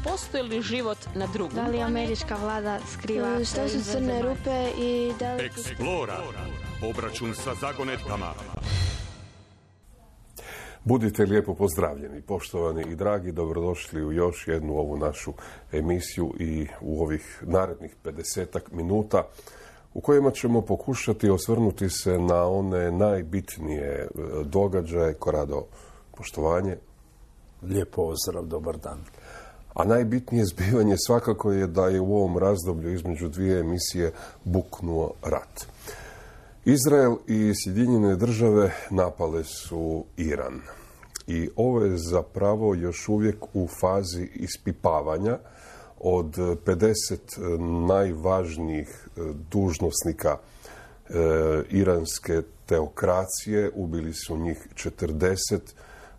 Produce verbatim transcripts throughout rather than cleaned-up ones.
postoji li život na drugom? Da li američka vlada skriva? Šta su crne rupe i da li... Eksplora. Obračun sa zagonetkama. Budite lijepo pozdravljeni, poštovani i dragi, dobrodošli u još jednu ovu našu emisiju i u ovih narednih pedesetak minuta u kojima ćemo pokušati osvrnuti se na one najbitnije događaje. Korado, poštovanje. Lijep pozdrav, dobar dan. A najbitnije zbivanje svakako je da je u ovom razdoblju između dvije emisije buknuo rat. Izrael i Sjedinjene države napale su Iran. I ovo je zapravo još uvijek u fazi ispipavanja. Od pedeset najvažnijih dužnosnika e, iranske teokracije, ubili su njih četrdeset,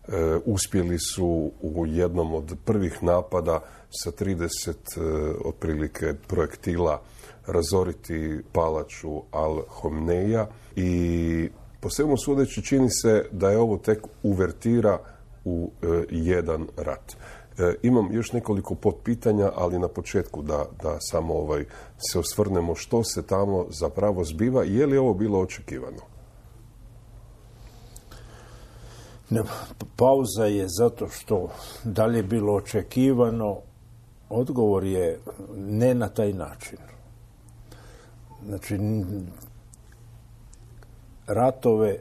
e, uspjeli su u jednom od prvih napada sa trideset e, otprilike projektila razoriti palaču Al-Homneja i po svemu sudeći čini se da je ovo tek uvertira u e, jedan rat. E, imam još nekoliko potpitanja, ali na početku da, da samo ovaj, se osvrnemo što se tamo zapravo zbiva i je li ovo bilo očekivano? Ne, pauza je zato što da li je bilo očekivano, odgovor je ne na taj način. Znači, ratove,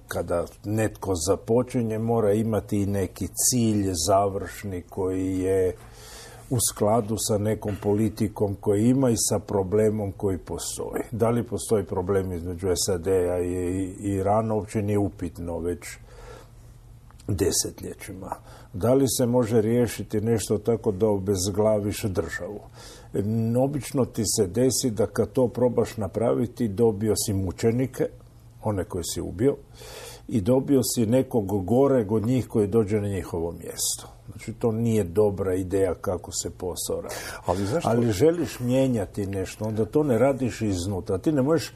kada netko započinje, mora imati i neki cilj završni koji je u skladu sa nekom politikom koji ima i sa problemom koji postoji. Da li postoji problem između S A D-a i Irana, uopće nije upitno već desetljećima. Da li se može riješiti nešto tako da obezglaviš državu? Obično ti se desi da kad to probaš napraviti, dobio si mučenike, one koje si ubio, i dobio si nekog goreg od njih koji dođe na njihovo mjesto. Znači, to nije dobra ideja kako se posao radi. Ali, zašto? Ali želiš mijenjati nešto, onda to ne radiš iznutra. Ti ne možeš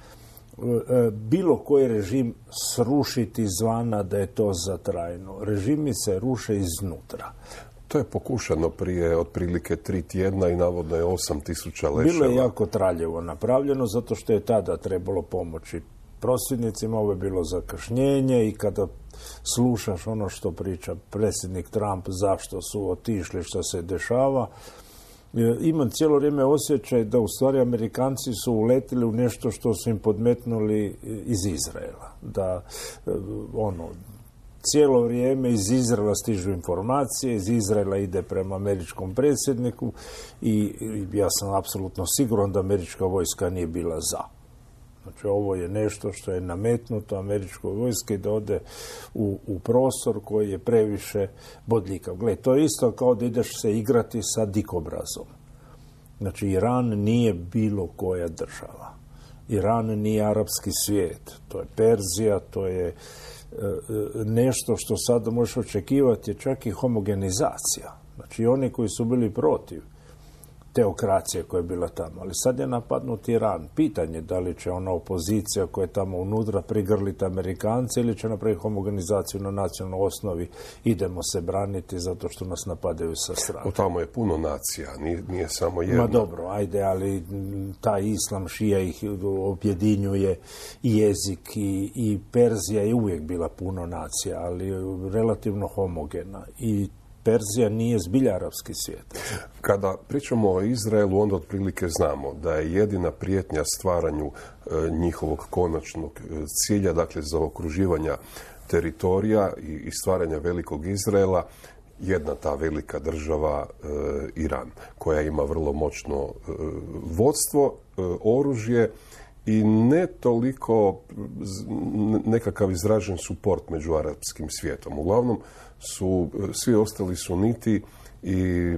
bilo koji režim srušiti izvana da je to za trajno. Režimi se ruše iznutra. To je pokušano prije otprilike tri tjedna i navodno je osam tisuća leševa. Bilo je jako traljevo napravljeno zato što je tada trebalo pomoći prosvjednicima, ovo je bilo zakašnjenje i kada slušaš ono što priča predsjednik Trump, zašto su otišli, što se dešava, imam cijelo vrijeme osjećaj da u stvari Amerikanci su uletili u nešto što su im podmetnuli iz Izraela. Da ono, cijelo vrijeme iz Izraela stižu informacije, iz Izraela ide prema američkom predsjedniku i ja sam apsolutno siguran da američka vojska nije bila za. Znači, ovo je nešto što je nametnuto američkoj vojski da ode u, u prostor koji je previše bodljikav. Gle, to je isto kao da ideš se igrati sa dikobrazom. Znači, Iran nije bilo koja država. Iran nije arapski svijet. To je Perzija, to je e, nešto što sada možeš očekivati, je čak i homogenizacija. Znači, oni koji su bili protiv teokracije koja je bila tamo. Ali sad je napadnut Iran. Pitanje da li će ona opozicija koja je tamo unutra prigrliti Amerikance ili će napraviti homogenizaciju na nacionalnoj osnovi. Idemo se braniti zato što nas napadaju sa strane. O, tamo je puno nacija, nije, nije samo jedna. Ma dobro, ajde, ali taj islam šija ih objedinjuje i jezik i, i Perzija je uvijek bila puno nacija, ali relativno homogena. I Perzija nije zbilja arapski svijet. Kada pričamo o Izraelu, onda otprilike znamo da je jedina prijetnja stvaranju e, njihovog konačnog cilja, dakle zaokruživanja teritorija i, i stvaranja velikog Izraela, jedna ta velika država e, Iran, koja ima vrlo moćno e, vodstvo, e, oružje i ne toliko nekakav izražen suport među arapskim svijetom. Uglavnom su svi ostali suniti i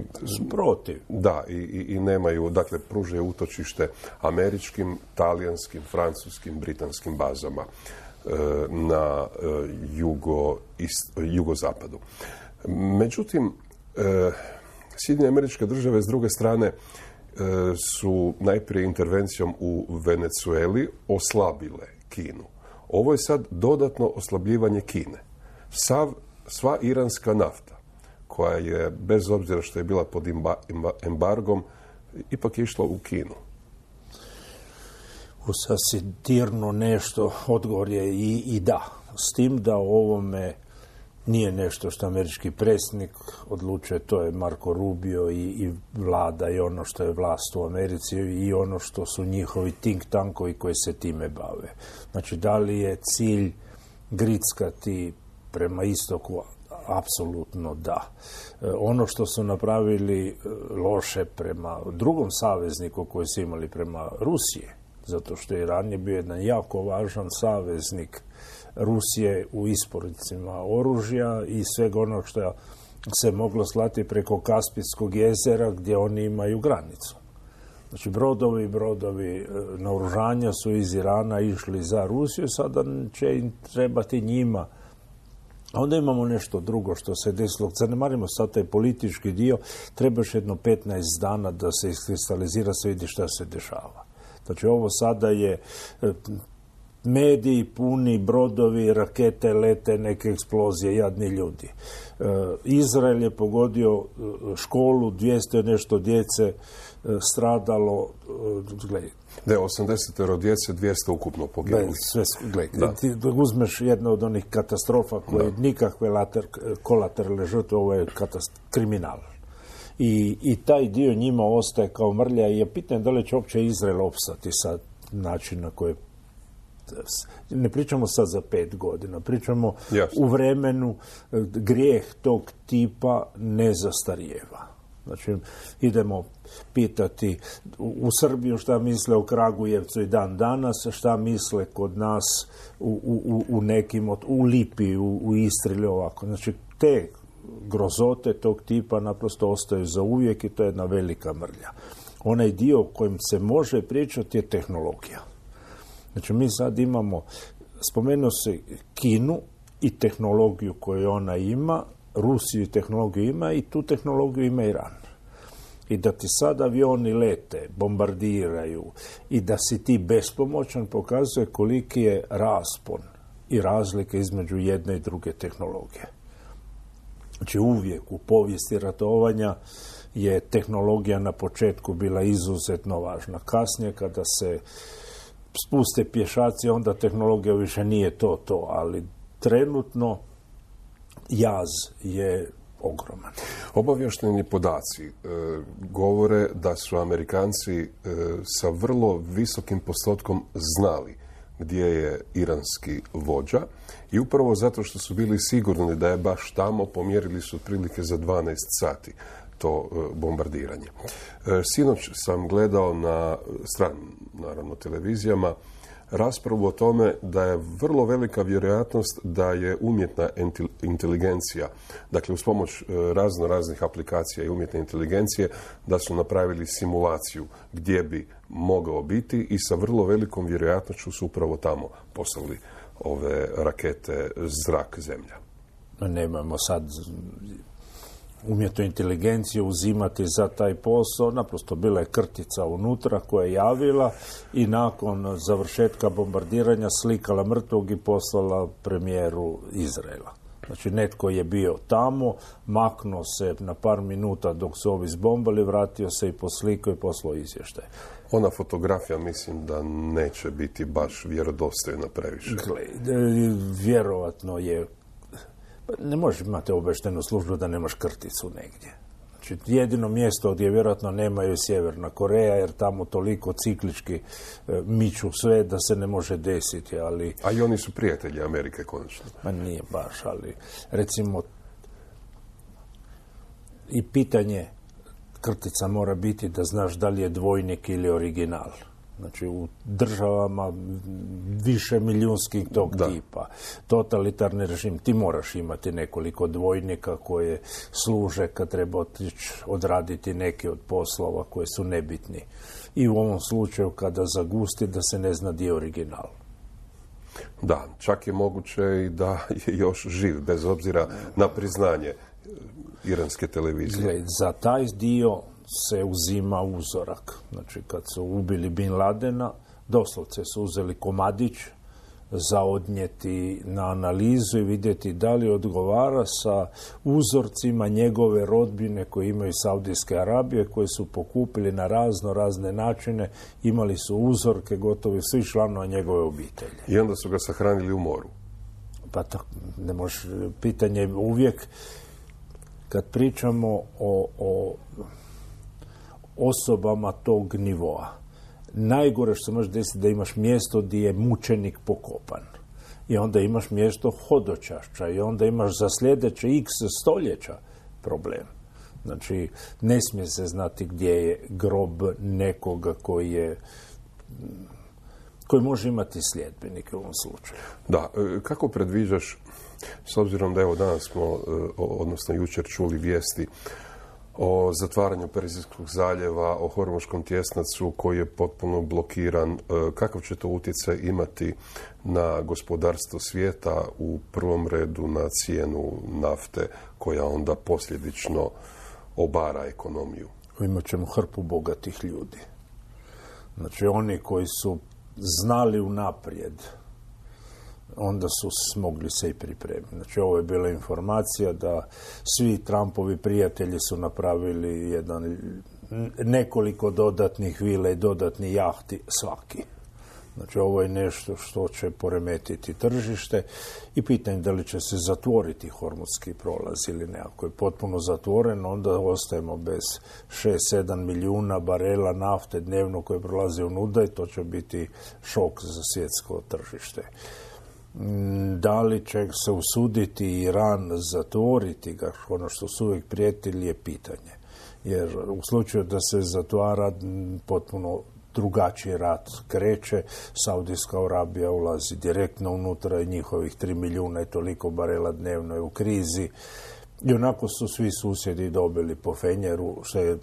protiv. Da, i, i, i nemaju, dakle, pružaju utočište američkim, talijanskim, francuskim, britanskim bazama e, na e, jugo, ist, jugozapadu. Međutim, e, Sjedinjene Američke Države s druge strane e, su najprije intervencijom u Venezueli oslabile Kinu. Ovo je sad dodatno oslabljivanje Kine. Sav, sva iranska nafta koja je, bez obzira što je bila pod embargom, ipak išla u Kinu? U sasvim dirno nešto, odgovor je i, i da. S tim da o ovome nije nešto što američki predsjednik odlučuje, to je Marco Rubio i, i vlada i ono što je vlast u Americi i ono što su njihovi think tankovi koji se time bave. Znači, da li je cilj grickati prema istoku? Apsolutno da. E, ono što su napravili loše prema drugom savezniku koji su imali prema Rusije, zato što Iran je bio jedan jako važan saveznik Rusije u isporucima oružja i svega onog što se moglo slati preko Kaspijskog jezera gdje oni imaju granicu. Znači, brodovi, brodovi naoružanja su iz Irana išli za Rusiju, sada će im trebati njima. A onda imamo nešto drugo što se desilo. Zanemarimo sad taj politički dio, trebaš jedno petnaest dana da se iskristalizira, se vidi šta se dešava. Znači, ovo sada je mediji puni, brodovi, rakete lete, neke eksplozije, jadni ljudi. E, Izrael je pogodio školu, dvjesto nešto djece e, stradalo, e, gledaj. Da je osamdeset djece, dvjesto ukupno poginulo. Sve, gledaj, ti uzmeš jednu od onih katastrofa koje da. Nikakve later, kolateralne žrtve, ovo je katast, kriminal. I, I taj dio njima ostaje kao mrlja i je pitanje da li će uopće Izrael opstati sa način na koje. Ne pričamo sad za pet godina, pričamo yes. u vremenu grijeh tog tipa ne zastarijeva. Znači, idemo pitati u, u Srbiju šta misle o Kragujevcu i dan danas, šta misle kod nas u, u, u nekim, od, u Lipi, u, u Istri ili ovako. Znači, te grozote tog tipa naprosto ostaju za uvijek i to je jedna velika mrlja. Onaj dio o kojem se može pričati je tehnologija. Znači, mi sad imamo, spomenuo se Kinu i tehnologiju koju ona ima, Rusiju i tehnologiju ima i tu tehnologiju ima Iran. I da ti sad avioni lete, bombardiraju i da si ti bespomoćan pokazuje koliki je raspon i razlika između jedne i druge tehnologije. Znači, uvijek u povijesti ratovanja je tehnologija na početku bila izuzetno važna. Kasnije, kada se spuste pješaci, onda tehnologija više nije to, to, ali trenutno jaz je ogroman. Obavješteni podaci e, govore da su Amerikanci e, sa vrlo visokim postotkom znali gdje je iranski vođa i upravo zato što su bili sigurni da je baš tamo, pomjerili su otprilike za dvanaest sati to bombardiranje. Sinoć sam gledao na stranim, naravno, televizijama raspravu o tome da je vrlo velika vjerojatnost da je umjetna inteligencija, dakle uz pomoć razno raznih aplikacija i umjetne inteligencije, da su napravili simulaciju gdje bi mogao biti i sa vrlo velikom vjerojatnošću su upravo tamo poslali ove rakete zrak-zemlja. Nemamo sad umjetnu inteligenciju uzimati za taj posao, naprosto bila je krtica unutra koja je javila i nakon završetka bombardiranja slikala mrtvog i poslala premijeru Izraela. Znači, netko je bio tamo, maknuo se na par minuta dok su ovi zbombali, vratio se i poslikao i poslao izvještaj. Ona fotografija, mislim da neće biti baš vjerodostojna previše. Gle, vjerovatno je. Ne možeš imati obavještajnu službu da nemaš krticu negdje. Znači, jedino mjesto gdje vjerojatno nemaju je Sjeverna Koreja, jer tamo toliko ciklički e, miču sve da se ne može desiti, ali. A i oni su prijatelji Amerike, konačno. Ma nije baš, ali recimo i pitanje krtica mora biti da znaš da li je dvojnik ili original. Znači, u državama više milijunskih tog da. tipa, totalitarni režim, ti moraš imati nekoliko dvojnika koje služe kad treba otići odraditi neke od poslova koje su nebitni. I u ovom slučaju kada zagusti da se ne zna di je original. Da, čak je moguće i da je još živ, bez obzira na priznanje iranske televizije. Gled, za taj dio se uzima uzorak. Znači, kad su ubili Bin Ladena, doslovce su uzeli komadić, za odnijeti na analizu i vidjeti da li odgovara sa uzorcima njegove rodbine koje imaju Saudijske Arabije, koje su pokupili na razno razne načine, imali su uzorke gotovo svih članova njegove obitelji. I onda su ga sahranili u moru. Pa to ne može, pitanje je uvijek kad pričamo o, o osobama tog nivoa. Najgore što se može desiti da imaš mjesto gdje je mučenik pokopan. I onda imaš mjesto hodočašća i onda imaš za sljedeće x stoljeća problem. Znači, ne smije se znati gdje je grob nekoga koji je koji može imati sljedbenike u ovom slučaju. Da, kako predviđaš, s obzirom da evo danas smo, odnosno jučer čuli vijesti o zatvaranju Perzijskog zaljeva, o Hormuškom tjesnacu koji je potpuno blokiran, kakav će to utjecaj imati na gospodarstvo svijeta, u prvom redu na cijenu nafte koja onda posljedično obara ekonomiju? Imat ćemo hrpu bogatih ljudi. Znači oni koji su znali unaprijed, onda su smogli se i pripremiti. Znači, ovo je bila informacija da svi Trumpovi prijatelji su napravili jedan, nekoliko dodatnih vila i dodatnih jahti svaki. Znači, ovo je nešto što će poremetiti tržište i pitanje da li će se zatvoriti Hormuzski prolaz ili ne. Ako je potpuno zatvoren, onda ostajemo bez šest sedam milijuna barela nafte dnevno koje prolaze unuda i to će biti šok za svjetsko tržište. Da li će se usuditi Iran zatvoriti ga, ono što su uvijek prijetili, je pitanje. Jer u slučaju da se zatvara, potpuno drugačiji rat kreće, Saudijska Arabija ulazi direktno unutra i njihovih tri milijuna i toliko barela dnevno je u krizi. I onako su svi susjedi dobili po fenjeru, što je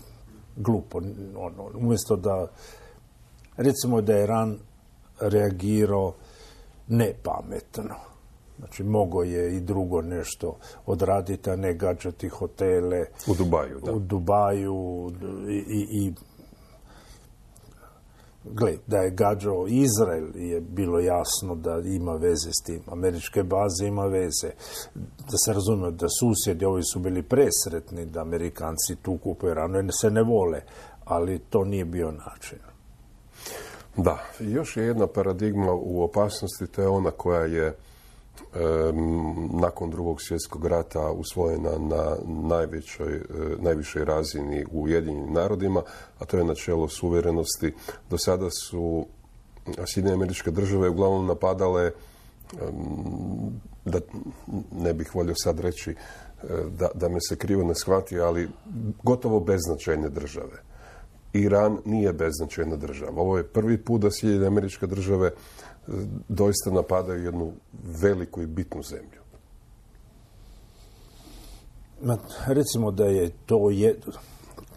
glupo. Ono, umjesto da, recimo da je Iran reagirao nepametno. Znači, mogo je i drugo nešto odraditi, a ne gađati hotele u Dubaju. Da. U Dubaju i, i, i gle, da je gađao Izrael je bilo jasno da ima veze s tim. Američke baze ima veze. Da se razumije da susjedi ovi su bili presretni da Amerikanci tu kupuju Iranu jer se ne vole, ali to nije bio način. Da, još je jedna paradigma u opasnosti, to je ona koja je e, nakon drugog svjetskog rata usvojena na najvećoj, e, najvišoj razini u Ujedinjenim narodima, a to je načelo suverenosti. Do sada su Sjedinjene Američke Države uglavnom napadale, e, da ne bih volio sad reći, e, da, da me se krivo ne shvati, ali gotovo beznačajne države. Iran nije beznačajna država. Ovo je prvi put da Sjedinjene Američke Države doista napadaju jednu veliku i bitnu zemlju. Recimo da je to jedno.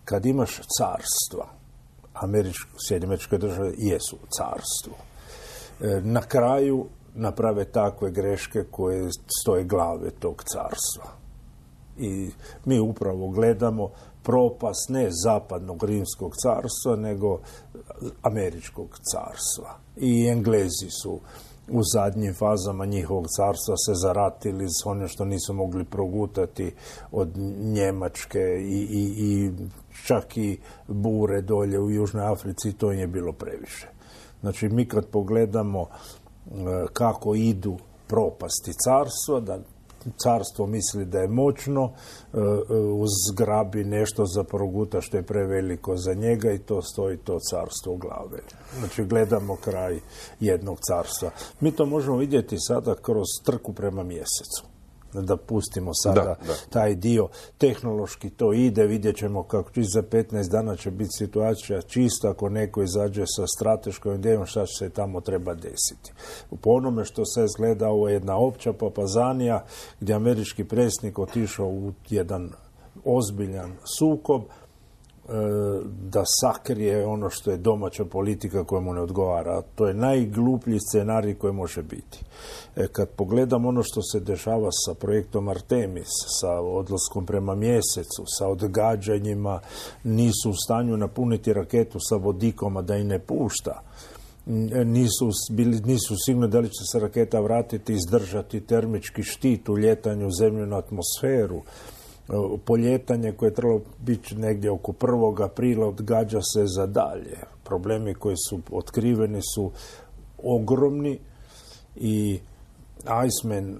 Kad imaš carstva, Sjedinjene Američke Države jesu carstvo. Na kraju naprave takve greške koje stoje glave tog carstva. I mi upravo gledamo propast ne zapadnog rimskog carstva, nego američkog carstva. I Englezi su u zadnjim fazama njihovog carstva se zaratili s onim što nisu mogli progutati od Njemačke i, i, i čak i bure dolje u Južnoj Africi, to im je bilo previše. Znači, mi kad pogledamo kako idu propasti carstva, da carstvo misli da je moćno, uzgrabi nešto za proguta što je preveliko za njega i to stoji to carstvo u glave. Znači, gledamo kraj jednog carstva. Mi to možemo vidjeti sada kroz trku prema mjesecu. Da pustimo sada da, da. taj dio. Tehnološki to ide, vidjet ćemo kako će za petnaest dana će biti situacija čista ako neko izađe sa strateškom idejom šta će se tamo treba desiti. Po onome što se izgleda, ovo je jedna opća papazanija gdje američki predsjednik otišao u jedan ozbiljan sukob da sakrije ono što je domaća politika koja mu ne odgovara. To je najgluplji scenarij koji može biti. E, kad pogledam ono što se dešava sa projektom Artemis, sa odlaskom prema mjesecu, sa odgađanjima, nisu u stanju napuniti raketu sa vodikom, a da i ne pušta. nisu, bili, nisu sigurni da li će se raketa vratiti, izdržati termički štit u ljetanju u zemljenu atmosferu. Poljetanje koje je trebalo biti negdje oko prvog aprila odgađa se za dalje. Problemi koji su otkriveni su ogromni i Eisman,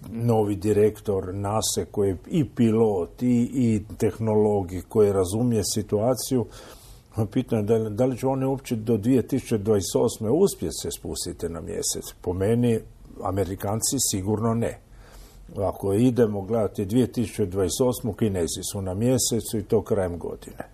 novi direktor NASA, koji je i pilot i, i tehnolog koji razumije situaciju, pitanje da li, da li će oni uopće do dvije tisuće dvadeset osme uspjeti se spustiti na mjesec. Po meni, Amerikanci sigurno ne. Ako idemo gledati dvije tisuće dvadeset osmu, Kinezi su na mjesecu i to krajem godine.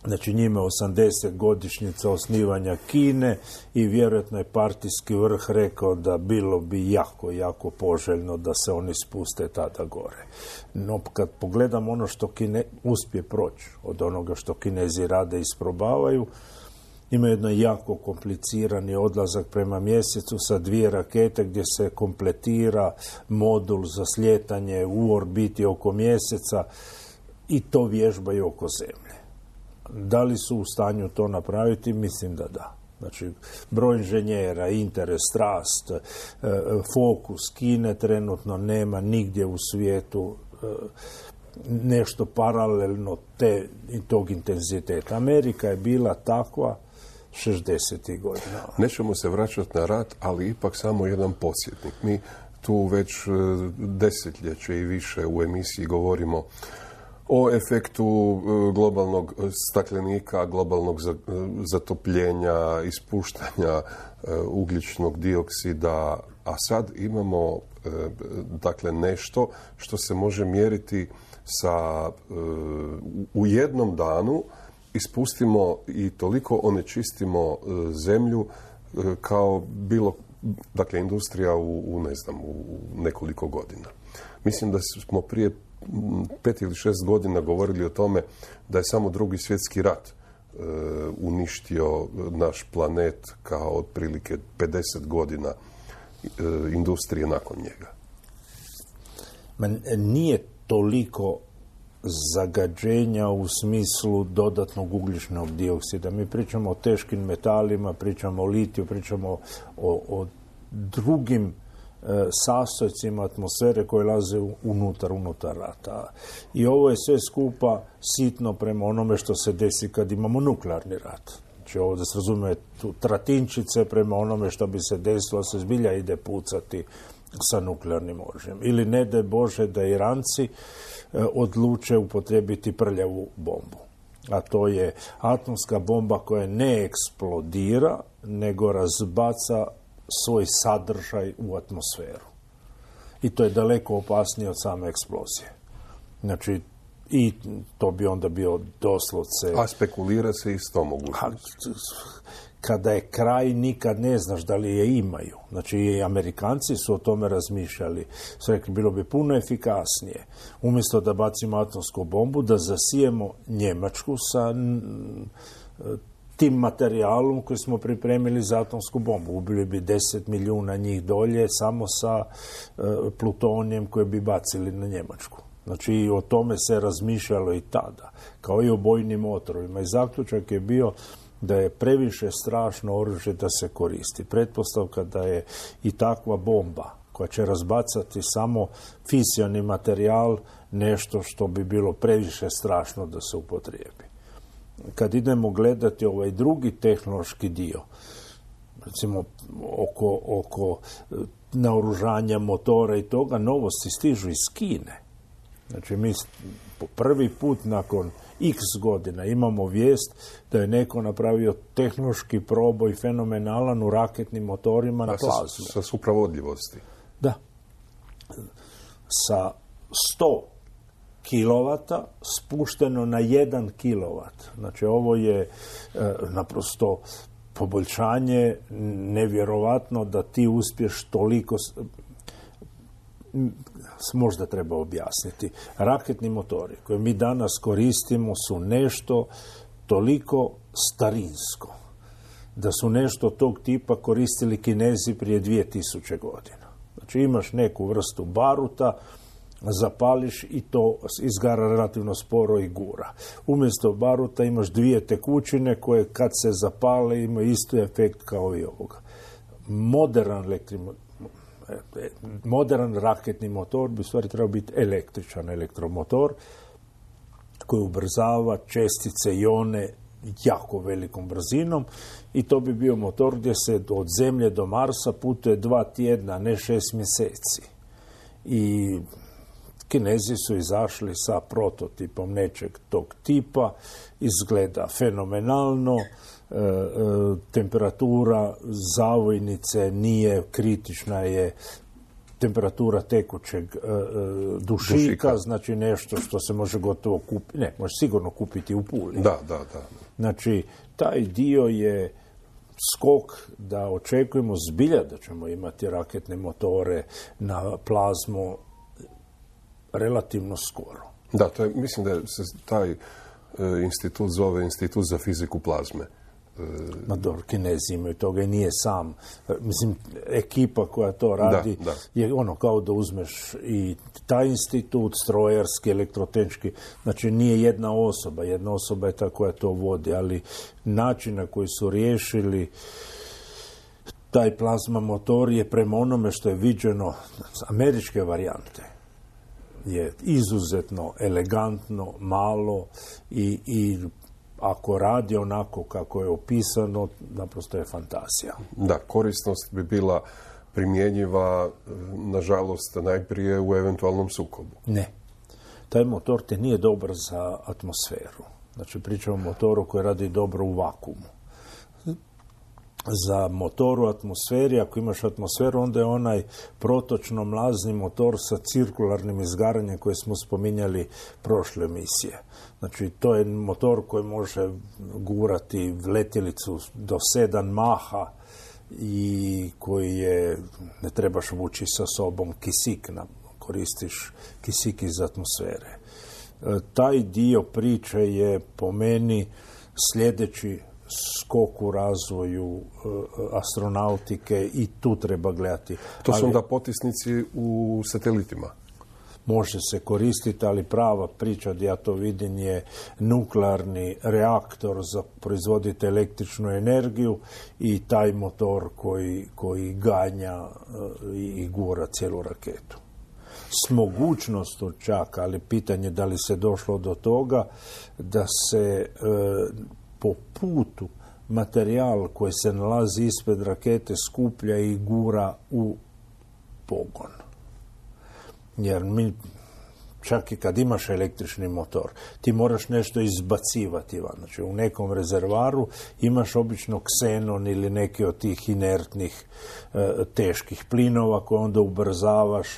Znači njima osamdeset godišnjica osnivanja Kine i vjerojatno je partijski vrh rekao da bilo bi jako, jako poželjno da se oni spuste tada gore. No kad pogledam ono što Kine uspije proći od onoga što Kinezi rade i isprobavaju, ima jedno jako komplicirani odlazak prema mjesecu sa dvije rakete gdje se kompletira modul za slijetanje u orbiti oko mjeseca i to vježbaju oko Zemlje. Da li su u stanju to napraviti? Mislim da da. Znači, broj inženjera, interes, strast, fokus Kine trenutno nema nigdje u svijetu nešto paralelno te, i tog intenziteta. Amerika je bila takva šezdesetih godina. Nećemo se vraćati na rat, ali ipak samo jedan podsjetnik. Mi tu već desetljeće i više u emisiji govorimo o efektu globalnog staklenika, globalnog zatopljenja, ispuštanja ugljičnog dioksida, a sad imamo dakle nešto što se može mjeriti sa u jednom danu ispustimo i toliko onečistimo zemlju kao bilo, dakle, industrija u, u ne znam, u nekoliko godina. Mislim da smo prije pet ili šest godina govorili o tome da je samo drugi svjetski rat e, uništio naš planet kao otprilike pedeset godina e, industrije nakon njega. Man, nije toliko zagađenja u smislu dodatnog ugljičnog dioksida. Mi pričamo o teškim metalima, pričamo o litiju, pričamo o, o drugim e, sastojcima atmosfere koje laze unutar, unutar rata. I ovo je sve skupa sitno prema onome što se desi kad imamo nuklearni rat. Znači ovo da se razumije tu tratinčice prema onome što bi se desilo, se zbilja ide pucati sa nuklearnim oružjem. Ili ne daj Bože da Iranci odluče upotrijebiti prljavu bombu. A to je atomska bomba koja ne eksplodira, nego razbaca svoj sadržaj u atmosferu. I to je daleko opasnije od same eksplozije. Znači, i to bi onda bio doslovce... A spekulira se i s tom mogućnosti. Kada je kraj, nikad ne znaš da li je imaju. Znači, i Amerikanci su o tome razmišljali. Su rekli, bilo bi puno efikasnije. Umjesto da bacimo atomsku bombu, da zasijemo Njemačku sa tim materijalom koji smo pripremili za atomsku bombu. Ubili bi deset milijuna njih dolje samo sa plutonijem koje bi bacili na Njemačku. Znači, i o tome se razmišljalo i tada, kao i o bojnim otrovima. I zaključak je bio da je previše strašno oružje da se koristi. Pretpostavka da je i takva bomba koja će razbacati samo fisioni materijal nešto što bi bilo previše strašno da se upotrijebi. Kad idemo gledati ovaj drugi tehnološki dio, recimo oko, oko naoružanja motora i toga, novosti stižu iz Kine. Znači mi po prvi put nakon x godina imamo vijest da je neko napravio tehnološki proboj fenomenalan u raketnim motorima na plazmu. Sa, sa supravodljivosti. Da. Sa sto kilovata spušteno na jedan kilovat. Znači ovo je e, naprosto poboljšanje nevjerovatno da ti uspješ toliko... možda treba objasniti. Raketni motori koje mi danas koristimo su nešto toliko starinsko, da su nešto tog tipa koristili Kinezi prije dvije tisuće godina. Znači imaš neku vrstu baruta zapališ i to izgara relativno sporo i gura. Umjesto baruta imaš dvije tekućine koje kad se zapale imaju isti efekt kao i ovoga. Modern elektrimo, modern raketni motor bi u stvari trebao biti električan elektromotor koji ubrzava čestice, ione jako velikom brzinom i to bi bio motor gdje se od Zemlje do Marsa putuje dva tjedna, ne šest mjeseci. I Kinezi su izašli sa prototipom nečeg tog tipa, izgleda fenomenalno, e, e, temperatura zavojnice nije kritična, je temperatura tekućeg e, dušika, dušika, znači nešto što se može gotovo kupiti, ne, može sigurno kupiti u Puli. Da, da, da. Znači, taj dio je skok da očekujemo zbilja da ćemo imati raketne motore na plazmu relativno skoro. Da, to je, mislim da se taj e, institut zove Institut za fiziku plazme. E, Ma dobro, Kinezi imaju toga i nije sam. E, mislim, ekipa koja to radi da, da. je ono kao da uzmeš i taj institut, strojarski, elektrotehnički, znači nije jedna osoba, jedna osoba je ta koja to vodi, ali način na koji su riješili taj plazma motor je prema onome što je viđeno američke varijante je izuzetno elegantno, malo i, i ako radi onako kako je opisano, naprosto je fantazija. Da, korisnost bi bila primjenjiva, nažalost, najprije u eventualnom sukobu. Ne. Taj motor te nije dobar za atmosferu. Znači, pričamo o motoru koji radi dobro u vakuumu. Za motor u atmosferi, ako imaš atmosferu, onda je onaj protočno mlazni motor sa cirkularnim izgaranjem koje smo spominjali prošle emisije. Znači, to je motor koji može gurati letjelicu do sedam maha i koji je, ne trebaš vući sa sobom kisik, koristiš kisik iz atmosfere. Taj dio priče je po meni sljedeći skok u razvoju e, astronautike i tu treba gledati. To su ali, onda potisnici u satelitima? Može se koristiti, ali prava priča gdje ja to vidim je nuklearni reaktor za proizvoditi električnu energiju i taj motor koji, koji ganja e, i gura cijelu raketu. S mogućnostom čak, ali pitanje da li se došlo do toga da se e, po putu materijal koji se nalazi ispred rakete skuplja i gura u pogon. Jer mi, čak i kad imaš električni motor, ti moraš nešto izbacivati van. Znači, u nekom rezervaru imaš obično ksenon ili neki od tih inertnih e, teških plinova koje onda ubrzavaš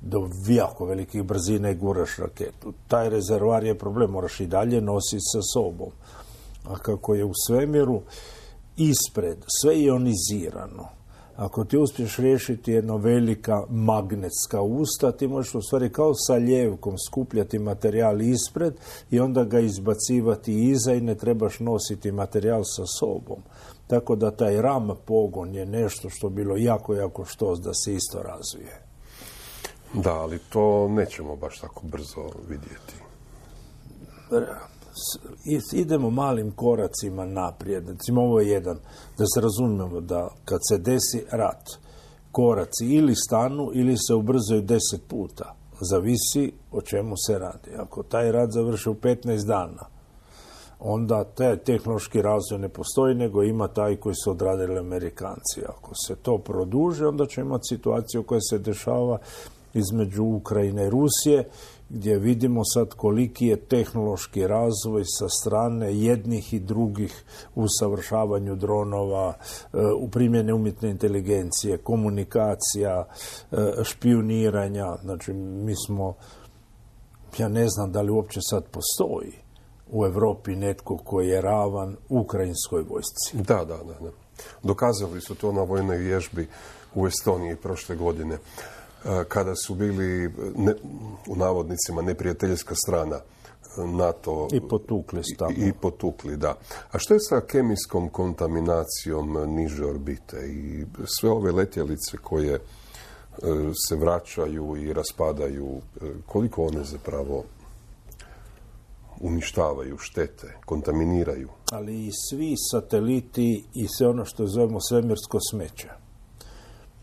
do jako velikih brzina i guraš raketu. Taj rezervar je problem, moraš i dalje nositi sa sobom. A kako je u svemiru ispred sve ionizirano, ako ti uspiješ riješiti jedno velika magnetska usta, ti možeš u stvari kao sa ljevkom skupljati materijal ispred i onda ga izbacivati iza i ne trebaš nositi materijal sa sobom. Tako da taj ram pogon je nešto što bilo jako, jako štos da se isto razvije. Da, ali to nećemo baš tako brzo vidjeti. Idemo malim koracima naprijed. Recimo, ovo je jedan, da se razumijemo da kad se desi rat, koraci ili stanu ili se ubrzaju deset puta. Zavisi o čemu se radi. Ako taj rat završi u petnaest dana, onda taj tehnološki razvoj ne postoji, nego ima taj koji su odradili Amerikanci. Ako se to produži, onda će imati situaciju koja se dešava između Ukrajine i Rusije, gdje vidimo sad koliki je tehnološki razvoj sa strane jednih i drugih u savršavanju dronova, u primjeni umjetne inteligencije, komunikacija, špijuniranja. Znači, mi smo, ja ne znam da li uopće sad postoji u Europi netko koji je ravan ukrajinskoj vojsci. Da, da, da, da. Dokazali su to na vojnoj vježbi u Estoniji prošle godine, kada su bili, ne, u navodnicima, neprijateljska strana NATO. I potukli stavno. I, I potukli, da. A što je sa kemijskom kontaminacijom niže orbite i sve ove letjelice koje se vraćaju i raspadaju, koliko one zapravo uništavaju, štete, kontaminiraju. Ali i svi sateliti i sve ono što zovemo svemirsko smeće.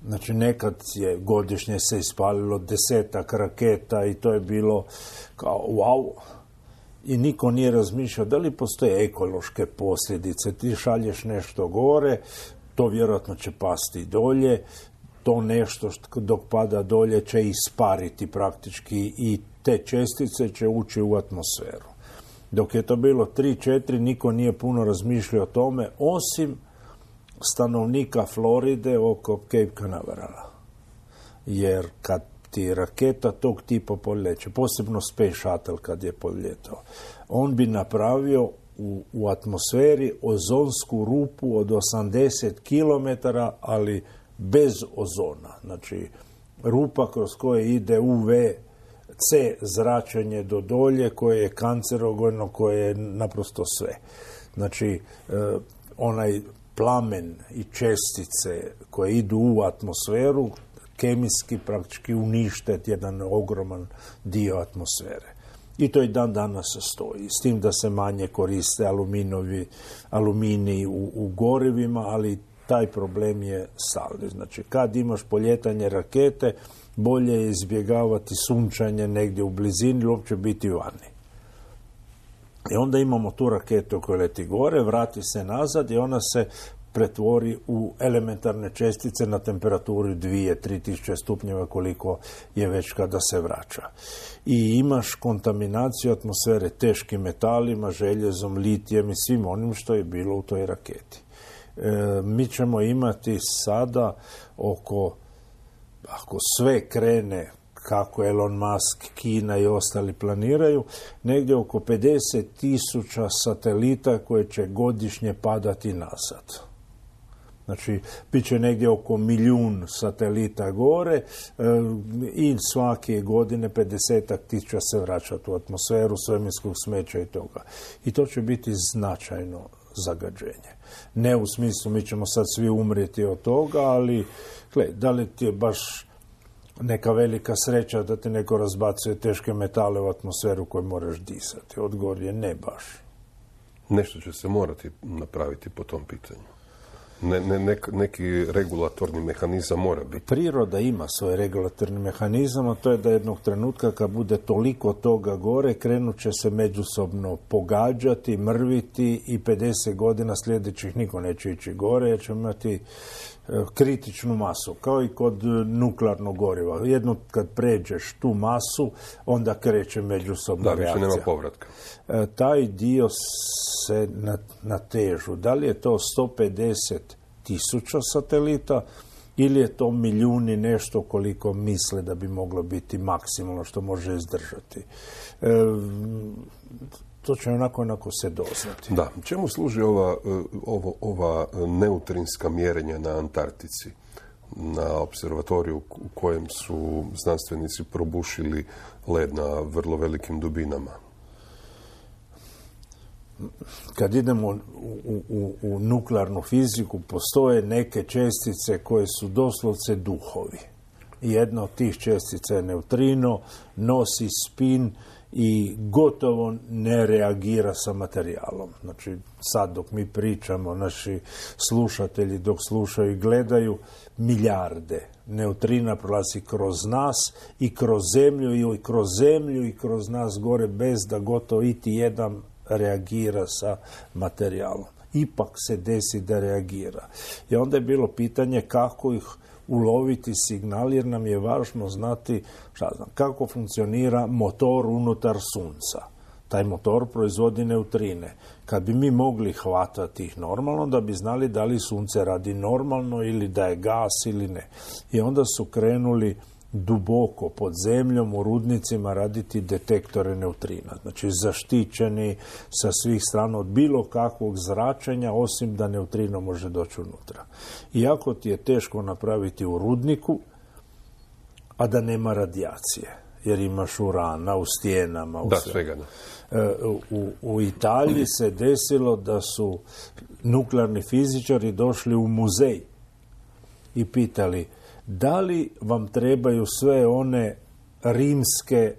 Znači, nekad je godišnje se ispalilo desetak raketa i to je bilo kao wow. I niko nije razmišljao da li postoje ekološke posljedice. Ti šalješ nešto gore, to vjerojatno će pasti dolje, to nešto što dok pada dolje će ispariti praktički i te čestice će ući u atmosferu. Dok je to bilo tri četiri, niko nije puno razmišljao o tome, osim stanovnika Floride oko Cape Canaverala. Jer kad ti raketa tog tipa poljeće, posebno Space Shuttle kad je poljetao, on bi napravio u, u atmosferi ozonsku rupu od osamdeset kilometara, ali bez ozona. Znači, rupa kroz koje ide U V C zračenje do dolje, koje je kancerogeno, koje je naprosto sve. Znači, e, onaj plamen i čestice koje idu u atmosferu kemijski praktički unište jedan ogroman dio atmosfere. I to i dan danas stoji. S tim da se manje koriste aluminovi, aluminij u, u gorivima, ali taj problem je stalni. Znači, kad imaš poljetanje rakete, bolje je izbjegavati sunčanje negdje u blizini ili uopće biti vani. I onda imamo tu raketu koja leti gore, vrati se nazad i ona se pretvori u elementarne čestice na temperaturi dvije do tri tisuće stupnjeva koliko je već kada se vraća. I imaš kontaminaciju atmosfere teškim metalima, željezom, litijem i svim onim što je bilo u toj raketi. E, mi ćemo imati sada oko, ako sve krene kako Elon Musk, Kina i ostali planiraju, negdje oko pedeset tisuća satelita koje će godišnje padati nazad. Znači, bit će negdje oko milijun satelita gore e, i svake godine pedeset tisuća se vraćati u atmosferu svemirskog smeća i toga. I to će biti značajno zagađenje. Ne u smislu mi ćemo sad svi umrijeti od toga, ali gle, da li ti je baš neka velika sreća da ti neko razbacuje teške metale u atmosferu koju moraš disati? Odgovor je ne baš. Nešto će se morati napraviti po tom pitanju. Ne, ne, nek, neki regulatorni mehanizam mora biti. Priroda ima svoj regulatorni mehanizam, a to je da jednog trenutka kad bude toliko toga gore, krenut će se međusobno pogađati, mrviti i pedeset godina sljedećih niko neće ići gore jer će imati kritičnu masu, kao i kod nuklearnog goriva. Jedno kad pređeš tu masu, onda kreće međusobna reakcija. Da, više nema povratka. E, taj dio se natežu. Da li je to sto pedeset tisuća satelita ili je to milijuni nešto koliko misle da bi moglo biti maksimalno što može izdržati. E, to će onako onako se doznati. Da. Čemu služi ova, ovo, ova neutrinska mjerenja na Antarktici, na observatoriju u kojem su znanstvenici probušili led na vrlo velikim dubinama? Kad idemo u, u, u, u nuklearnu fiziku, postoje neke čestice koje su doslovce duhovi. Jedna od tih čestica je neutrino, nosi spin i gotovo ne reagira sa materijalom. Znači, sad dok mi pričamo, naši slušatelji dok slušaju i gledaju, milijarde neutrina prolazi kroz nas i kroz zemlju i kroz zemlju i kroz nas gore bez da gotovo iti jedan reagira sa materijalom. Ipak se desi da reagira. I onda je bilo pitanje kako ih uloviti signal, jer nam je važno znati šta znam, kako funkcionira motor unutar sunca. Taj motor proizvodi neutrine. Kad bi mi mogli hvatati ih normalno, da bi znali da li sunce radi normalno ili da je gas ili ne. I onda su krenuli duboko pod zemljom u rudnicima raditi detektore neutrina. Znači zaštićeni sa svih strana od bilo kakvog zračenja, osim da neutrino može doći unutra. Iako ti je teško napraviti u rudniku, a da nema radijacije, jer imaš urana u stijenama. U da, svega da. U, u Italiji se desilo da su nuklearni fizičari došli u muzej i pitali Da li vam trebaju sve one rimske,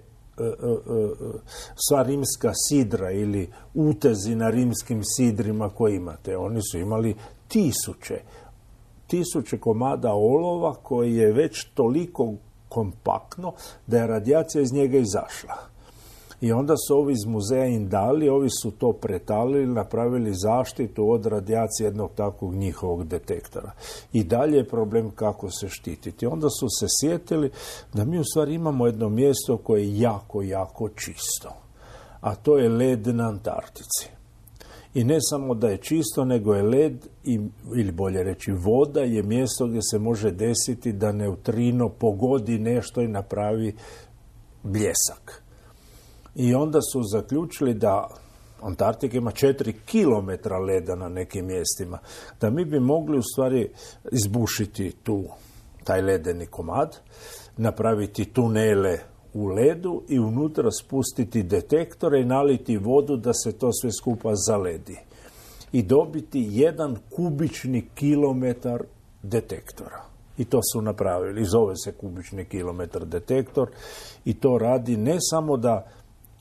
sva rimska sidra ili utezi na rimskim sidrima koje imate? Oni su imali tisuće, tisuće komada olova koji je već toliko kompaktno da je radijacija iz njega izašla. I onda su ovi iz muzeja Indali, ovi su to pretalili, napravili zaštitu od radijacije jednog takvog njihovog detektora. I dalje je problem kako se štititi. Onda su se sjetili da mi u stvari imamo jedno mjesto koje je jako, jako čisto. A to je led na Antarktici. I ne samo da je čisto, nego je led, i, ili bolje reći voda, je mjesto gdje se može desiti da neutrino pogodi nešto i napravi bljesak. I onda su zaključili da Antarktika ima četiri kilometra leda na nekim mjestima, da mi bi mogli u stvari izbušiti tu, taj ledeni komad, napraviti tunele u ledu i unutra spustiti detektore i naliti vodu da se to sve skupa zaledi. I dobiti jedan kubični kilometar detektora. I to su napravili. Zove se kubični kilometar detektor i to radi ne samo da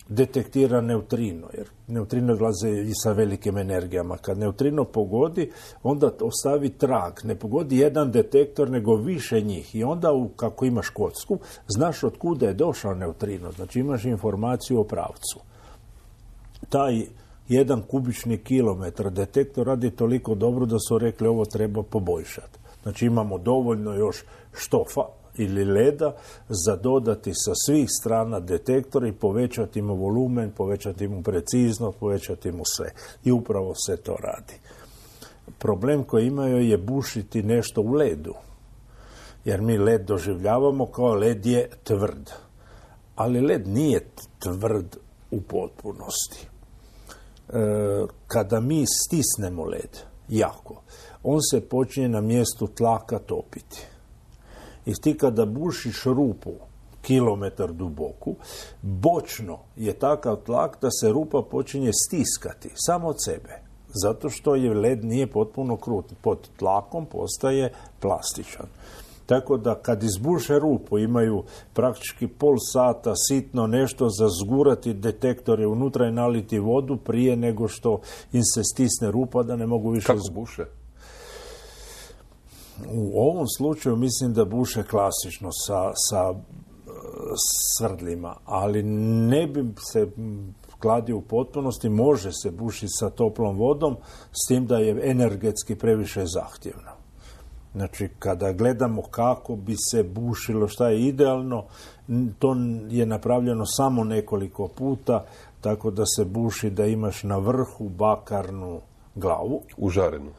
detektira neutrino, jer neutrino dolaze i sa velikim energijama. Kad neutrino pogodi, onda ostavi trag. Ne pogodi jedan detektor, nego više njih. I onda, kako imaš kocku, znaš od kuda je došao neutrino. Znači imaš informaciju o pravcu. Taj jedan kubični kilometar detektor radi toliko dobro da su rekli ovo treba poboljšati. Znači imamo dovoljno još štofa ili leda za dodati sa svih strana detektora i povećati mu volumen, povećati mu preciznost, povećati mu sve. I upravo se to radi. Problem koji imaju je bušiti nešto u ledu. Jer mi led doživljavamo kao led je tvrd. Ali led nije tvrd u potpunosti. E, kada mi stisnemo led jako, on se počinje na mjestu tlaka topiti. I ti kada bušiš rupu kilometar duboku, bočno je takav tlak da se rupa počinje stiskati samo od sebe. Zato što je led nije potpuno krut. Pod tlakom postaje plastičan. Tako da kad izbuše rupu imaju praktički pol sata sitno nešto za zgurati detektore unutra i naliti vodu prije nego što im se stisne rupa da ne mogu više... Kako buše? U ovom slučaju mislim da buše klasično sa, sa svrdlima, ali ne bi se kladio u potpunosti, može se bušiti sa toplom vodom, s tim da je energetski previše zahtjevno. Znači, kada gledamo kako bi se bušilo, šta je idealno, to je napravljeno samo nekoliko puta, tako da se buši da imaš na vrhu bakarnu glavu. Užarenu.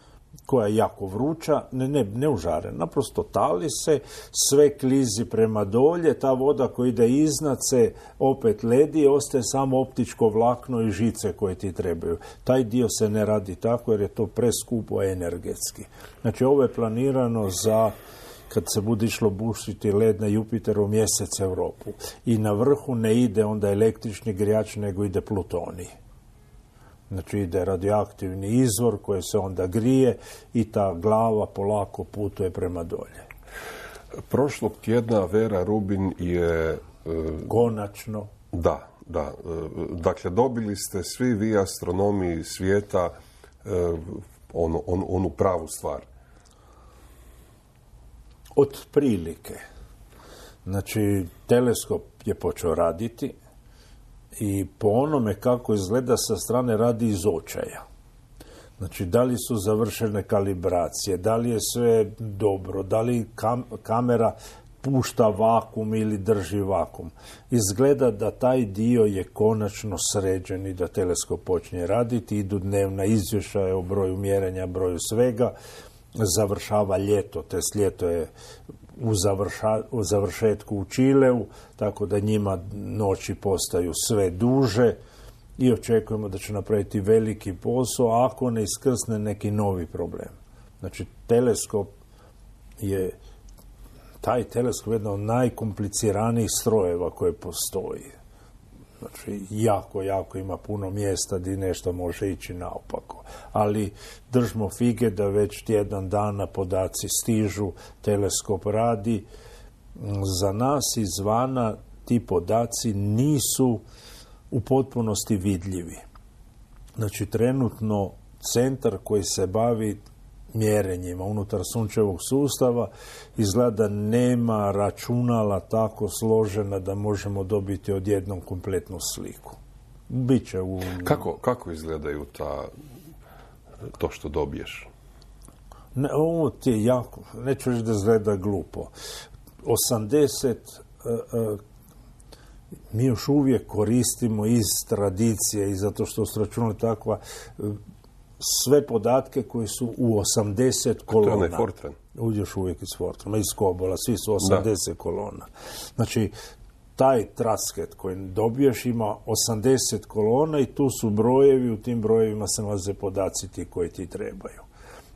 Koja je jako vruća, ne, ne, ne užarena, naprosto tali se, sve klizi prema dolje, ta voda koja ide iznad se opet ledi, ostaje samo optičko vlakno i žice koje ti trebaju. Taj dio se ne radi tako jer je to preskupo energetski. Znači ovo je planirano za kad se bude išlo bušiti led na Jupiteru mjesec Europu. I na vrhu ne ide onda električni grijač, nego ide plutonij. Znači ide radioaktivni izvor koji se onda grije i ta glava polako putuje prema dolje. Prošlog tjedna Vera Rubin je... Konačno. Da, da. Dakle, dobili ste svi vi astronomi svijeta onu, onu, onu pravu stvar. Otprilike. Znači, teleskop je počeo raditi i po onome kako izgleda sa strane radi iz očaja. Znači, da li su završene kalibracije, da li je sve dobro, da li kam, kamera pušta vakum ili drži vakum. Izgleda da taj dio je konačno sređen i da teleskop počinje raditi. Idu dnevna izvješća o broju mjerenja, broju svega. Završava ljeto, test ljeto je u, završa, u završetku u Čileu, tako da njima noći postaju sve duže i očekujemo da će napraviti veliki posao ako ne iskrsne neki novi problem. Znači, teleskop je, taj teleskop je jedan od najkompliciranijih strojeva koje postoji. Znači, jako, jako ima puno mjesta gdje nešto može ići naopako. Ali držimo fige da već tjedan dana podaci stižu, teleskop radi. Za nas izvana ti podaci nisu u potpunosti vidljivi. Znači, trenutno centar koji se bavi mjerenjima unutar sunčevog sustava izgleda nema računala tako složena da možemo dobiti odjednom kompletnu sliku. Biće u... Kako, kako izgledaju ta, to što dobiješ? Ne, ovo ti je jako, neću reći da izgleda glupo. osamdeset uh, uh, mi još uvijek koristimo iz tradicije i zato što su računali takva uh, sve podatke koji su u osamdeset kolona. To je onaj Fortran. Još uvijek iz Fortrana, iz Kobola, svi su osamdeset da. kolona. Znači, taj trasket koji dobiješ ima osamdeset kolona i tu su brojevi, u tim brojevima se nalaze podaci ti koji ti trebaju.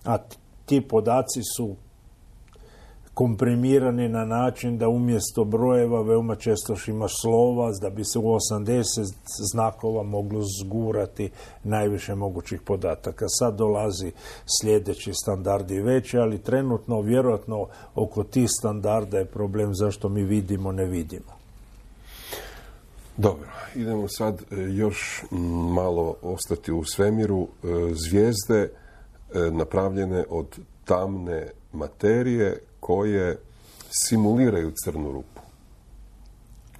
A ti podaci su komprimirani na način da umjesto brojeva veoma često imaš slova, da bi se u osamdeset znakova moglo zgurati najviše mogućih podataka. Sad dolazi sljedeći standardi veći, ali trenutno vjerojatno oko tih standarda je problem zašto mi vidimo, ne vidimo. Dobro, idemo sad još malo ostati u svemiru. Zvijezde napravljene od tamne materije koje simuliraju crnu rupu.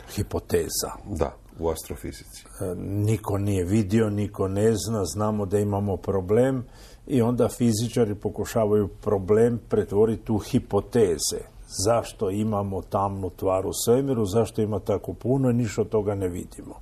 Hipoteza. Da, u astrofizici. E, niko nije vidio, niko ne zna, znamo da imamo problem i onda fizičari pokušavaju problem pretvoriti u hipoteze. Zašto imamo tamnu tvar u svemiru, zašto ima tako puno i ništa od toga ne vidimo.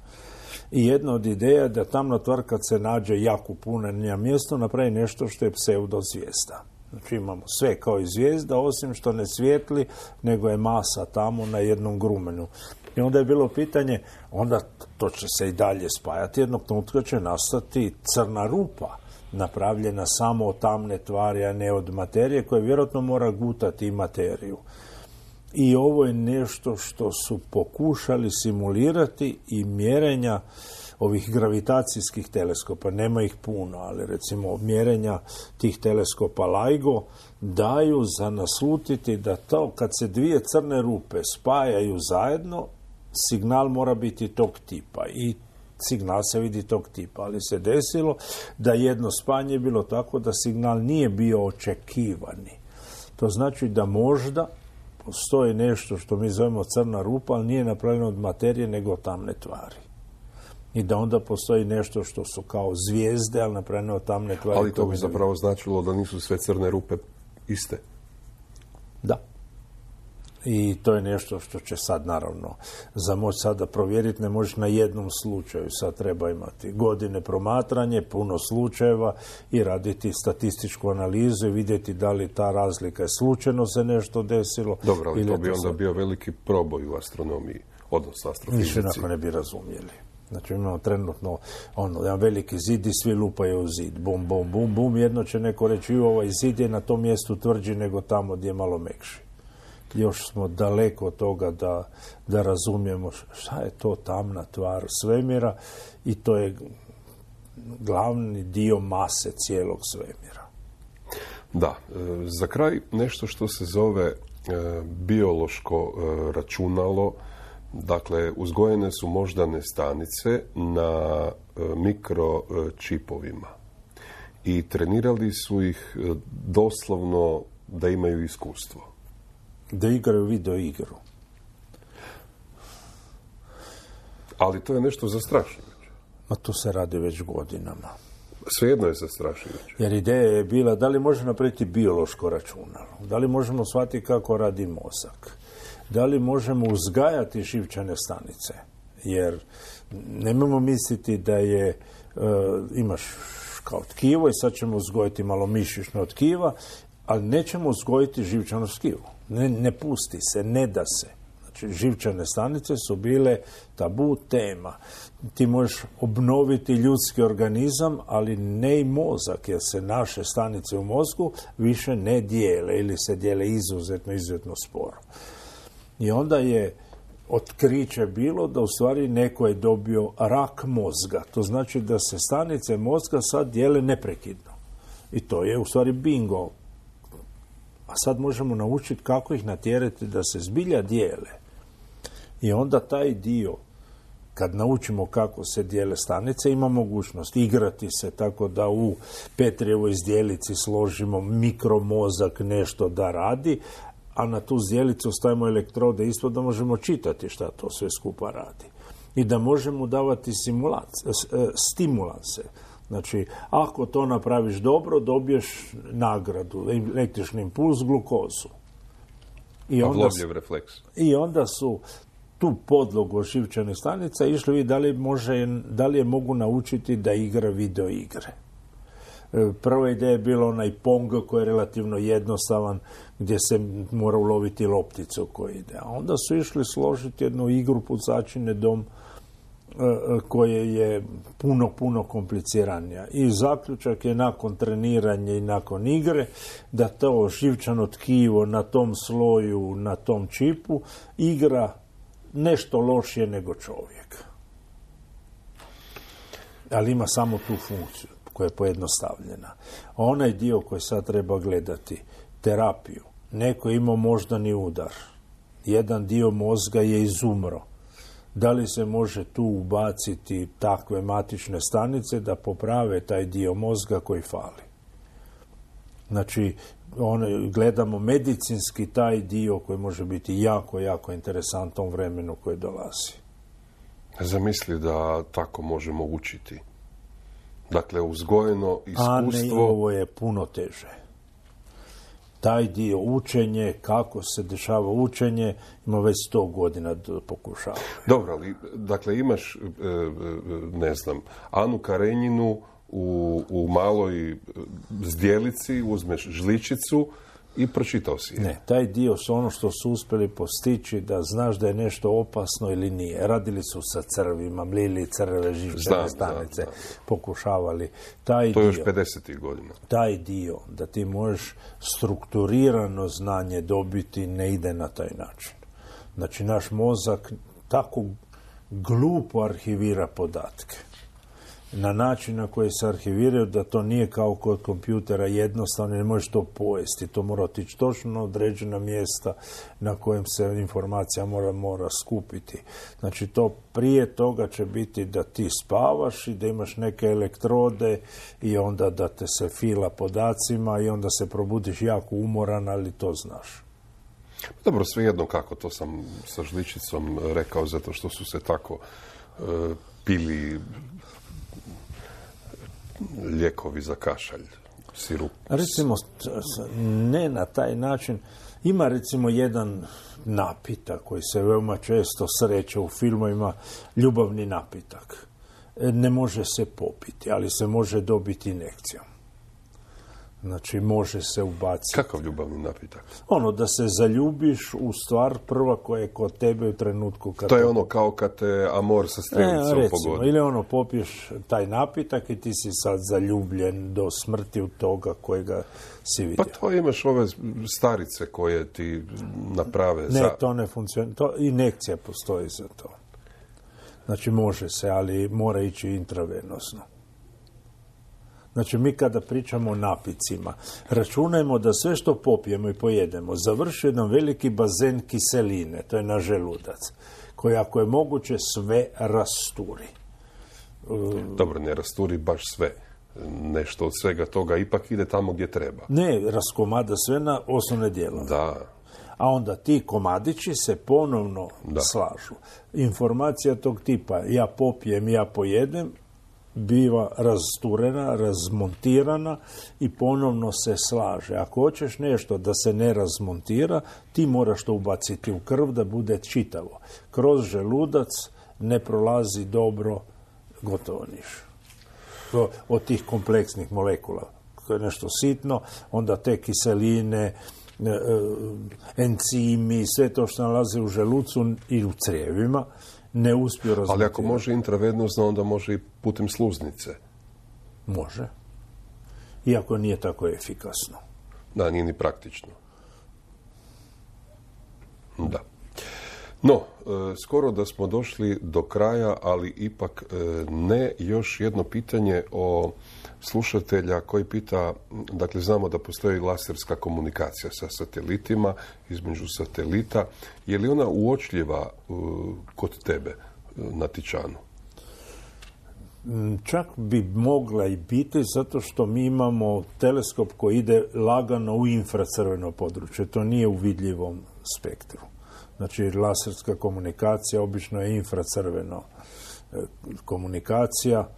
I jedna od ideja je da tamna tvar kad se nađe jako puno na mjesto napravi nešto što je pseudozvijezda. Znači imamo sve kao i zvijezda, osim što ne svijetli, nego je masa tamo na jednom grumenu. I onda je bilo pitanje, onda to će se i dalje spajati, jednog trenutka će nastati crna rupa, napravljena samo od tamne tvari, a ne od materije, koja vjerojatno mora gutati i materiju. I ovo je nešto što su pokušali simulirati i mjerenja ovih gravitacijskih teleskopa, nema ih puno, ali recimo mjerenja tih teleskopa LIGO daju za naslutiti da to kad se dvije crne rupe spajaju zajedno, signal mora biti tog tipa i signal se vidi tog tipa, ali se desilo da jedno spajanje je bilo tako da signal nije bio očekivani. To znači da možda postoji nešto što mi zovemo crna rupa, ali nije napravljeno od materije nego od tamne tvari. I da onda postoji nešto što su kao zvijezde, ali napravljeno od tamne tvari. Ali to bi zapravo značilo da nisu sve crne rupe iste. Da. I to je nešto što će sad, naravno, za moć sada provjeriti ne možeš na jednom slučaju. Sad treba imati godine promatranje, puno slučajeva i raditi statističku analizu i vidjeti da li ta razlika je slučajno se nešto desilo. Dobro, ali ili to bi onda sad... bio veliki proboj u astronomiji, odnosno astrofizici. Više onako ne bi razumjeli. Znači imamo trenutno ono, jedan veliki zid i svi lupaju u zid. Bum, bum, bum, bum. Jedno će neko reći ovaj zid je na tom mjestu tvrđi nego tamo gdje je malo mekši. Još smo daleko od toga da, da razumijemo šta je to tamna tvar svemira i to je glavni dio mase cijelog svemira. Da, za kraj nešto što se zove biološko računalo. Dakle, uzgojene su moždane stanice na mikročipovima i trenirali su ih doslovno da imaju iskustvo. Da igraju video igru. Ali to je nešto zastrašujuće. Ma to se radi već godinama. Svejedno je zastrašujuće. Jer ideja je bila da li može napraviti biološko računalo, da li možemo shvatiti kako radi mozak, da li možemo uzgajati živčane stanice. Jer nemojmo misliti da je, e, imaš kao tkivo i sad ćemo uzgojiti malo mišićno tkiva, ali nećemo uzgojiti živčano tkivo. Ne, ne pusti se, ne da se. Znači, živčane stanice su bile tabu tema. Ti možeš obnoviti ljudski organizam, ali ne i mozak, jer se naše stanice u mozgu više ne dijele ili se dijele izuzetno, izuzetno sporo. I onda je otkriće bilo da u stvari neko je dobio rak mozga. To znači da se stanice mozga sad dijele neprekidno. I to je u stvari bingo. A sad možemo naučiti kako ih natjerati da se zbilja dijele. I onda taj dio, kad naučimo kako se dijele stanice, ima mogućnost igrati se tako da u Petrijevoj zdjelici složimo mikromozak nešto da radi, a na tu zdjelicu stavimo elektrode ispod da možemo čitati šta to sve skupa radi. I da možemo davati stimulanse. Znači, ako to napraviš dobro, dobiješ nagradu, električni impuls, glukozu. I onda, refleks. I onda su tu podlogu živčanih stanica išli vidjeti da li, može, da li je mogu naučiti da igra video igre. Prva ideja je bila onaj Pong koji je relativno jednostavan, gdje se mora uloviti lopticu koja ide. A onda su išli složiti jednu igru Pucačine dom koje je puno, puno kompliciranija. I zaključak je nakon treniranja i nakon igre da to živčano tkivo na tom sloju, na tom čipu igra nešto lošije nego čovjek. Ali ima samo tu funkciju koja je pojednostavljena. Onaj dio koji sad treba gledati, terapiju, neko je imao moždani udar, jedan dio mozga je izumro. Da li se može tu ubaciti takve matične stanice da poprave taj dio mozga koji fali? Znači, one, gledamo medicinski taj dio koji može biti jako, jako interesantan u vremenu koje dolazi. Zamisli da tako možemo učiti. Dakle, uzgojeno iskustvo... A ne, ovo je puno teže. Taj dio učenje, kako se dešava učenje, ima već sto godina da pokušava. Dobro, ali, dakle, imaš, ne znam, Anu Karenjinu u, u maloj zdjelici, uzmeš žličicu i pročitao si je. Ne, taj dio su ono što su uspjeli postići da znaš da je nešto opasno ili nije. Radili su sa crvima, mlili crve, živčane stanice, znam, znam. Pokušavali. Taj to je dio, još pedesetih godina. Taj dio da ti možeš strukturirano znanje dobiti ne ide na taj način. Znači, naš mozak tako glupo arhivira podatke. Na način na koji se arhiviraju, da to nije kao kod kompjutera jednostavno, ne možeš to pojesti. To mora otići točno na određena mjesta na kojem se informacija mora, mora skupiti. Znači, to prije toga će biti da ti spavaš i da imaš neke elektrode i onda da te se fila podacima i onda se probudiš jako umoran, ali to znaš. Dobro, svejedno kako, to sam sa žličicom rekao, zato što su se tako uh, pili lijekovi za kašalj, sirup. Recimo, ne na taj način. Ima recimo jedan napitak koji se veoma često sreće u filmovima, ljubavni napitak. Ne može se popiti, ali se može dobiti injekcijom. Znači, može se ubaciti. Kakav ljubavni napitak? Ono, da se zaljubiš u stvar prva koja je kod tebe u trenutku kad... To je ono kao kad te amor sa strelicom e, pogodi. Ili ono, popiješ taj napitak i ti si sad zaljubljen do smrti u toga kojega si vidio. Pa to imaš ove starice koje ti naprave ne, za... Ne, to ne funkcionira. To, injekcija postoji za to. Znači, može se, ali mora ići intravenosno. Znači, mi kada pričamo o napicima, računajmo da sve što popijemo i pojedemo završi jedan veliki bazen kiseline, to je naš želudac, koji ako je moguće sve rasturi. Dobro, ne rasturi baš sve. Nešto od svega toga ipak ide tamo gdje treba. Ne, raskomada sve na osnovne dijelove. Da. A onda ti komadići se ponovno da. slažu. Informacija tog tipa, ja popijem, ja pojedem, biva rasturena, razmontirana i ponovno se slaže. Ako hoćeš nešto da se ne razmontira, ti moraš to ubaciti u krv da bude čitavo. Kroz želudac ne prolazi dobro, gotovo niš. Od tih kompleksnih molekula. To je nešto sitno, onda te kiseline, encimi, sve to što nalazi u želucu i u crijevima, ne uspiju razmotirati. Ali ako može intravenozno, onda može i putem sluznice. Može. Iako nije tako efikasno. Da, nije ni praktično. Da. No, skoro da smo došli do kraja, ali ipak ne. Još jedno pitanje o slušatelja koji pita, dakle znamo da postoji laserska komunikacija sa satelitima, između satelita. Je li ona uočljiva kod tebe na Tičanu? Čak bi mogla i biti, zato što mi imamo teleskop koji ide lagano u infracrveno područje. To nije u vidljivom spektru. Znači, laserska komunikacija obično je infracrveno komunikacija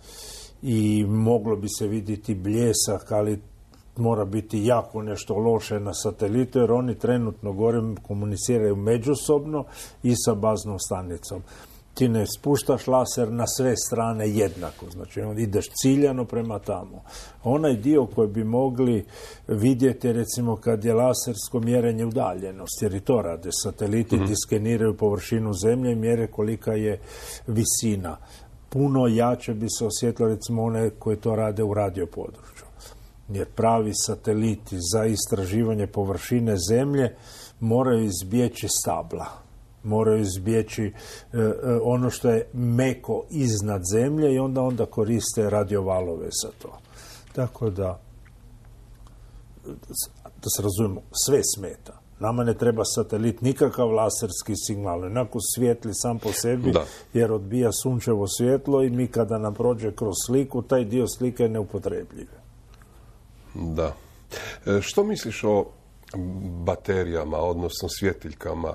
i moglo bi se vidjeti bljesak, ali mora biti jako nešto loše na satelitu, jer oni trenutno gore komuniciraju međusobno i sa baznom stanicom. Ti ne spuštaš laser na sve strane jednako, znači ideš ciljano prema tamo. Onaj dio koji bi mogli vidjeti, recimo kad je lasersko mjerenje udaljenosti, jer i to rade sateliti, mm-hmm. diskeniraju površinu zemlje i mjere kolika je visina. Puno jače bi se osjetilo, recimo, one koje to rade u radiopodručju. Jer pravi sateliti za istraživanje površine zemlje moraju izbjeći stabla. Moraju izbjeći e, ono što je meko iznad zemlje i onda onda koriste radiovalove za to. Tako da, da se razumijemo, sve smeta. Nama ne treba satelit, nikakav laserski signal, onako svijetli sam po sebi, da. Jer odbija sunčevo svjetlo i mi kada nam prođe kroz sliku, taj dio slike je neupotrebljiv. Da. E, što misliš o baterijama, odnosno svjetiljkama,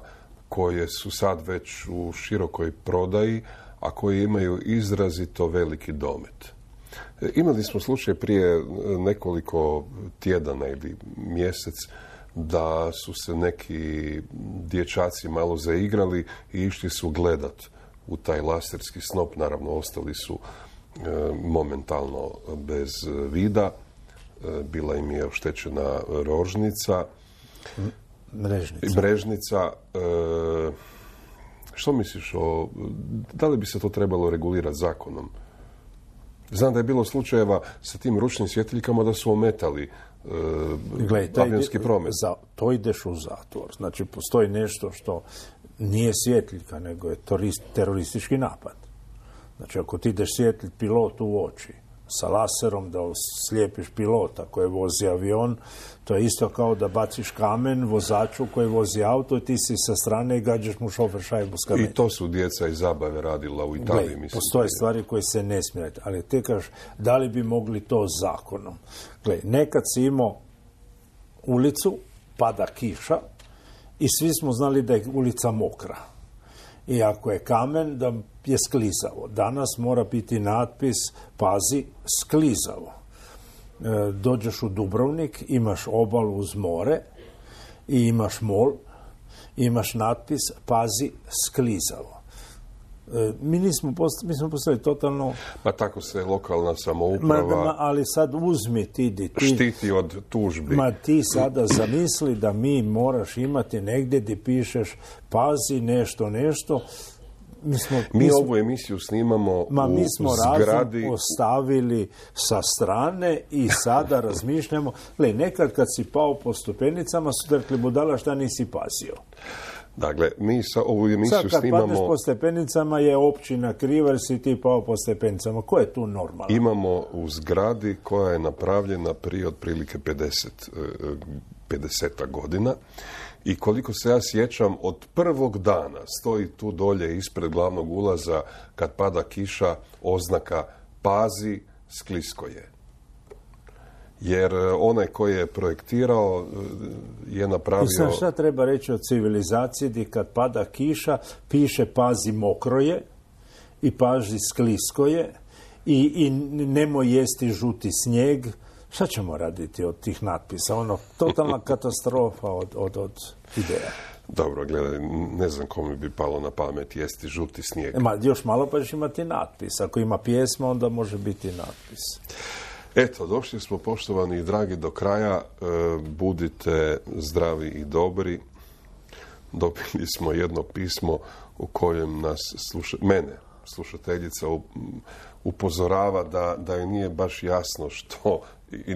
koje su sad već u širokoj prodaji, a koji imaju izrazito veliki domet? E, imali smo slučaj prije nekoliko tjedana ili mjesec da su se neki dječaci malo zaigrali i išli su gledat u taj laserski snop. Naravno, ostali su e, momentalno bez vida. E, bila im je oštećena rožnica. Mrežnica. Mrežnica. E, što misliš o... Da li bi se to trebalo regulirati zakonom? Znam da je bilo slučajeva sa tim ručnim svjetiljkama da su ometali Gled, avionski promet. Za, to ideš u zatvor. Znači, postoji nešto što nije svjetiljka, nego je teroristički napad. Znači, ako ti ideš svjetliti pilotu u oči sa laserom da slijepiš pilota koji vozi avion, to je isto kao da baciš kamen vozaču koji vozi auto i ti si sa strane i gađaš mu šofer šajbu s kamenjem. I to su djeca iz zabave radila u Italiji. Gle, mislim. Postoje stvari koje se ne smije, ali te kažeš, da li bi mogli to zakonom? Gle, nekad si imao ulicu, pada kiša i svi smo znali da je ulica mokra. I ako je kamen, da je sklizavo. Danas mora biti natpis, pazi, sklizavo. E, dođeš u Dubrovnik, imaš obalu uz more i imaš mol, imaš natpis, pazi, sklizavo. E, mi nismo post, mi smo postali totalno... Pa tako se lokalna samouprava... Ma, ma, ali sad uzmi ti, ti... Štiti od tužbi. Ma ti sada zamisli da mi moraš imati negdje gdje pišeš pazi nešto, nešto... Mi, smo, mi, mi smo, ovu emisiju snimamo ma, u mi smo zgradi... razum ostavili sa strane i sada razmišljamo... Gle, nekad kad si pao po stepenicama su te rekli, budala, šta nisi pazio? Dakle, mi sa ovu emisiju sad, kad snimamo... padneš po stepenicama je općina kriva jer si ti pao po stepenicama. Ko je tu normalno? Imamo u zgradi koja je napravljena prije otprilike pedeset, pedeset godina. I koliko se ja sjećam, od prvog dana stoji tu dolje ispred glavnog ulaza, kad pada kiša, oznaka pazi, sklisko je. Jer onaj koji je projektirao je napravio... I sad šta treba reći o civilizaciji gdje kad pada kiša piše pazi mokro je i pazi sklisko je i, i nemoj jesti žuti snijeg. Šta ćemo raditi od tih natpisa? Ono, totalna katastrofa od, od, od ideja. Dobro, gledaj, ne znam kome bi palo na pamet jesti žuti snijeg. Ma, još malo pa ćeš imati natpis. Ako ima pjesma, onda može biti natpis. Eto, došli smo, poštovani i dragi, do kraja. E, budite zdravi i dobri. Dobili smo jedno pismo u kojem nas sluša, mene slušateljica upozorava da, da joj nije baš jasno što, i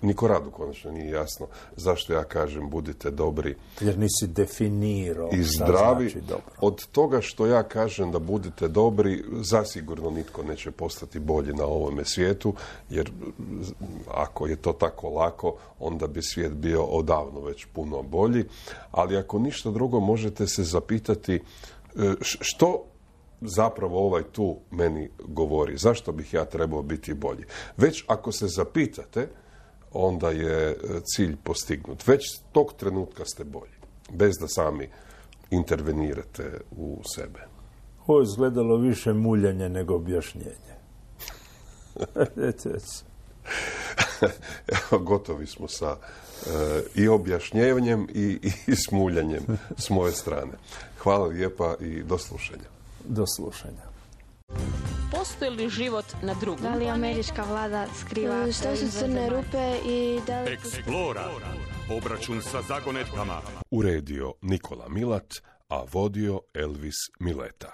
niko radu konačno nije jasno, zašto ja kažem budite dobri. Jer nisi definirao i šta zdravi. Znači dobro. Od toga što ja kažem da budite dobri, zasigurno nitko neće postati bolji na ovome svijetu, jer ako je to tako lako, onda bi svijet bio odavno već puno bolji. Ali ako ništa drugo, možete se zapitati što zapravo ovaj tu meni govori, zašto bih ja trebao biti bolji. Već ako se zapitate, onda je cilj postignut. Već tog trenutka ste bolji, bez da sami intervenirate u sebe. Ovo je izgledalo više muljanje nego objašnjenje. Evo, gotovi smo sa e, i objašnjenjem i, i smuljanjem s moje strane. Hvala lijepa i do slušanja. Do slušanja. Postoji li život na drugom? Da li američka vlada skriva Što su crne rupe i da li... Eksplora. Obračun sa zagonetkama. Uredio Nikola Milat, a vodio Elvis Mileta.